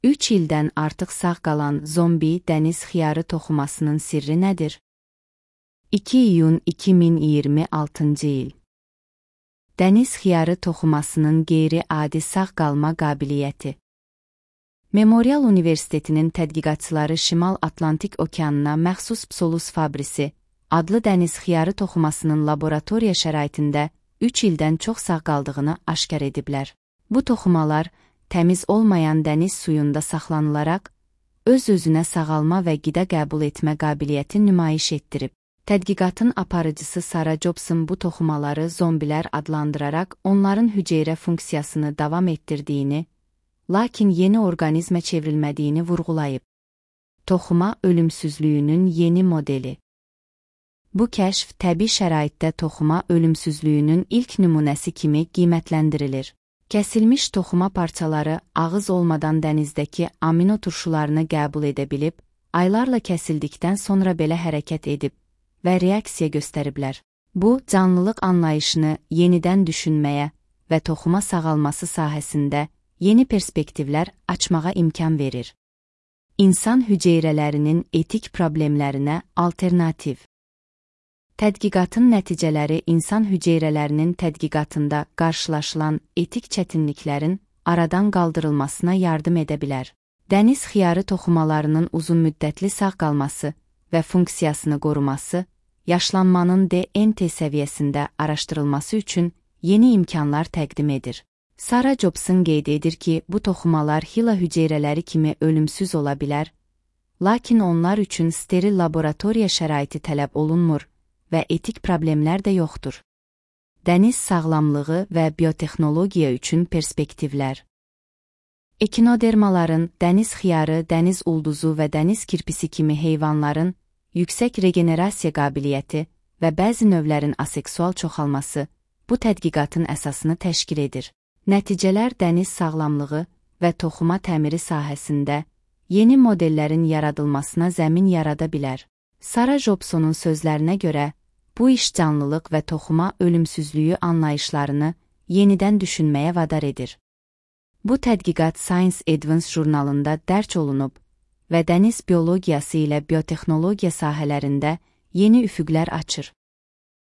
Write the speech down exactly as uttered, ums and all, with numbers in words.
üç ildən artıq sağ qalan zombi dəniz xiyarı toxumasının sirri nədir? iki iyun iki min iyirmi altıncı il. Dəniz xiyarı toxumasının qeyri-adi sağ qalma qabiliyyəti. Memorial Universitetinin tədqiqatçıları Şimal Atlantik Okeanına məxsus Psolus fabrisi adlı dəniz xiyarı toxumasının laboratoriya şəraitində üç ildən çox sağ qaldığını aşkar ediblər. Bu toxumalar təmiz olmayan dəniz suyunda saxlanılaraq, öz-özünə sağalma və qida qəbul etmə qabiliyyəti nümayiş etdirib. Tədqiqatın aparıcısı Sarah Jobson bu toxumaları zombilər adlandıraraq onların hüceyrə funksiyasını davam etdirdiyini, lakin yeni orqanizmə çevrilmədiyini vurğulayıb. Toxuma ölümsüzlüyünün yeni modeli. Bu kəşf təbii şəraitdə toxuma ölümsüzlüyünün ilk nümunəsi kimi qiymətləndirilir. Kəsilmiş toxuma parçaları ağız olmadan dənizdəki amino turşularını qəbul edə bilib, aylarla kəsildikdən sonra belə hərəkət edib və reaksiya göstəriblər. Bu, canlılıq anlayışını yenidən düşünməyə və toxuma sağalması sahəsində yeni perspektivlər açmağa imkan verir. İnsan hüceyrələrinin etik problemlərinə alternativ. Tədqiqatın nəticələri insan hüceyrələrinin tədqiqatında qarşılaşılan etik çətinliklərin aradan qaldırılmasına yardım edə bilər. Dəniz xiyarı toxumalarının uzunmüddətli sağ qalması və funksiyasını qoruması, yaşlanmanın D N T səviyyəsində araşdırılması üçün yeni imkanlar təqdim edir. Sarah Jobson qeyd edir ki, bu toxumalar HeLa hüceyrələri kimi ölümsüz ola bilər, lakin onlar üçün steril laboratoriya şəraiti tələb olunmur və etik problemlər də yoxdur. Dəniz sağlamlığı və biotexnologiya üçün perspektivlər. Ekinodermaların, dəniz xiyarı, dəniz ulduzu və dəniz kirpisi kimi heyvanların yüksək regenerasiya qabiliyyəti və bəzi növlərin aseksual çoxalması bu tədqiqatın əsasını təşkil edir. Nəticələr dəniz sağlamlığı və toxuma təmiri sahəsində yeni modellərin yaradılmasına zəmin yarada bilər. Sarah Jobsonun sözlərinə görə, bu iş canlılıq və toxuma ölümsüzlüyü anlayışlarını yenidən düşünməyə vadar edir. Bu tədqiqat Science Advance jurnalında dərc olunub və dəniz biologiyası ilə biotexnologiya sahələrində yeni üfüqlər açır.